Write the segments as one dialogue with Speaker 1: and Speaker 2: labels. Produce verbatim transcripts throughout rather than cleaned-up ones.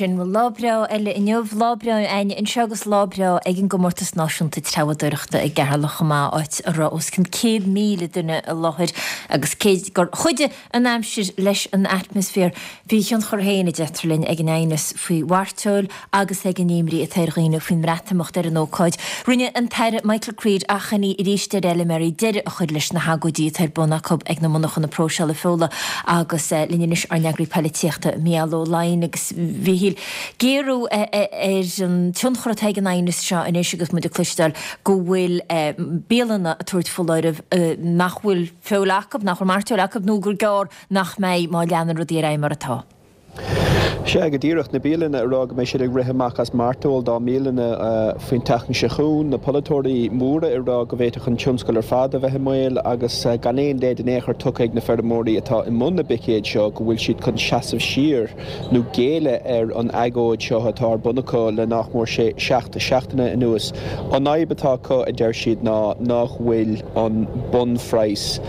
Speaker 1: Sin bhuel lá breá eile inniu, lá breá againne anseo agus lá breá ag an gcomórtas náisiúnta treabhadóireachta i gCeatharlach chomh maith, áit a raibh os cionn céad míle duine i láthair agus cé gur chuidigh an aimsir leis an atmaisféar, bhí a thionchar féin, a deirtear linn, ag an aighneas faoi mhairteoil agus ag an imní atá ar dhaoine faoin mBreatimeacht ar an ócáid. Rinne an tAire Michael Creed achainí arís ar fheilméaraí deireadh a chur leis na hagóidí atá ar bun acu ag na monarchana próiseála feola agus linn anois ár n-eagraí poilitíochta Mícheál Ó Laighin agus a Mhíchíl, géarú ar an tionchar atá ag an aighneas seo anois agus muid ag cloisteáil go bhfuil bialanna ag tabhairt foláireamh nach bhfuil feoil acu, nach bhfuil mairteoil acu nó gur gearr nach mbeidh má leanann rudaí ar aghaidh mar atá.
Speaker 2: Sea, go díreach, na bialanna ag rá go mbeidh siad ag rith amach as mairteoil dá mbialanna faoin tseachtain seo chugainn, na polaiteoirí móra ag rá go bhféadfadh an tionscal ar fad a bheith i mbaol agus gan aon leid in aon chor tugtha ag na feirmeoirí atá i mbun na bpicéad seo go bhfuil siad chun seasamh siar nó géilleadh ar an agóid seo atá ar bun acu le nach mór sé seacht seachtaine anuas. An fhadhb atá acu, a deir siad, ná nach bhfuil an bunphraghas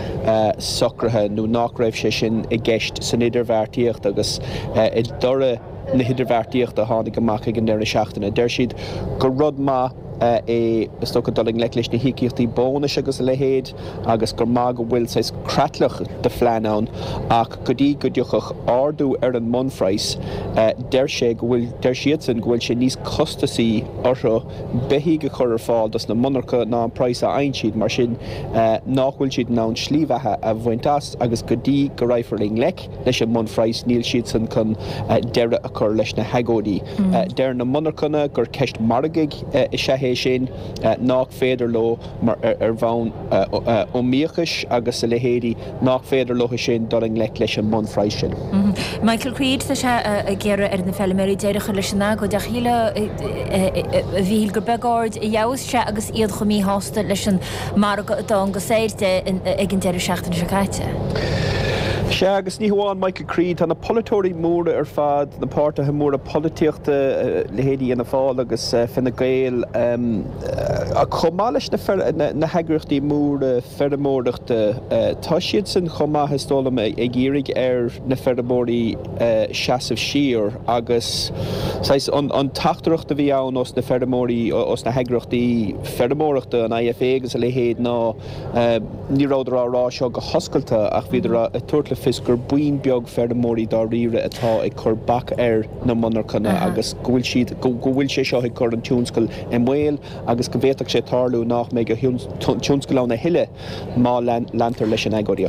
Speaker 2: socraithe nó nach raibh sé sin i gceist san idirbheartaíocht agus i dtoradh na hidirbheartaíochta a tháinig amach ag an deireadh seachtaine. Deir siad gur rud maith é, is dócha, dul i ngleic leis na híocaíochtaí bónais agus a leithéid agus gur maith go bhfuil saghas creatlach de phlean ann ach go dtí go dtiocfadh ardú ar an mbunphraghas, deir sé go bhfuil, deir siadsan go bhfuil sé níos costasaí orthu beithígh a chur ar fáil dos na monarcha ná an praghas a fhaigheann siad, mar sin nach bhfuil siad in ann slí bheatha a bhaint as agus go dtí go raghfar i ngleic leis an mbunphraghas níl siadsan chun deireadh a chur leis na hagóidí. Deir na monarchana gur ceist margaidh is ea é sin, nach féidir leo mar ar bhonn iomaíochais agus a leithéidí, nach féidir leo sin dul i ngleic leis an mbunphraghas sin.
Speaker 1: Michael Creed, tá sé ag iarraidh ar na feilméaraí deireadh a chur leis an agóid ach shílfeá, a Mhíchíl, gur beag aird a gheobhas sé agus iad chomh míshásta leis an margadh a dtángas air de ag an deireadh seachtaine seo caite.
Speaker 2: Sea, agus ní hamháin Michael Creed, tá na polaiteoirí móra ar fad, na páirtithe móra polaitíochta, leithéidí Fhianna Fáil agus Fine Gael, chomh maith leis na heagraíochtaí móra feirmeoireachta, tá siadsan chomh maith, is dóigh liom, ag iarraidh ar na feirmeoirí seasamh siar agus saghas an teachtaireacht a bhí ann ós na feirmeoirí, ós na heagraíochtaí feirmeoireachta, an IFA agus a leithéid, ná ní rabhadar á rá seo go hoscailte ach bhíodar ag tabhairt le fios gur buíon beag feirmeoirí dáiríre atá ag cur bac ar na monarchana agus go bhfuil siad, go bhfuil sé seo ag cur an tionscal i mbaol agus go bhféadfadh sé tarlú nach mbeidh an tionscal ann a thuilleadh má leantar leis an agóidíocht.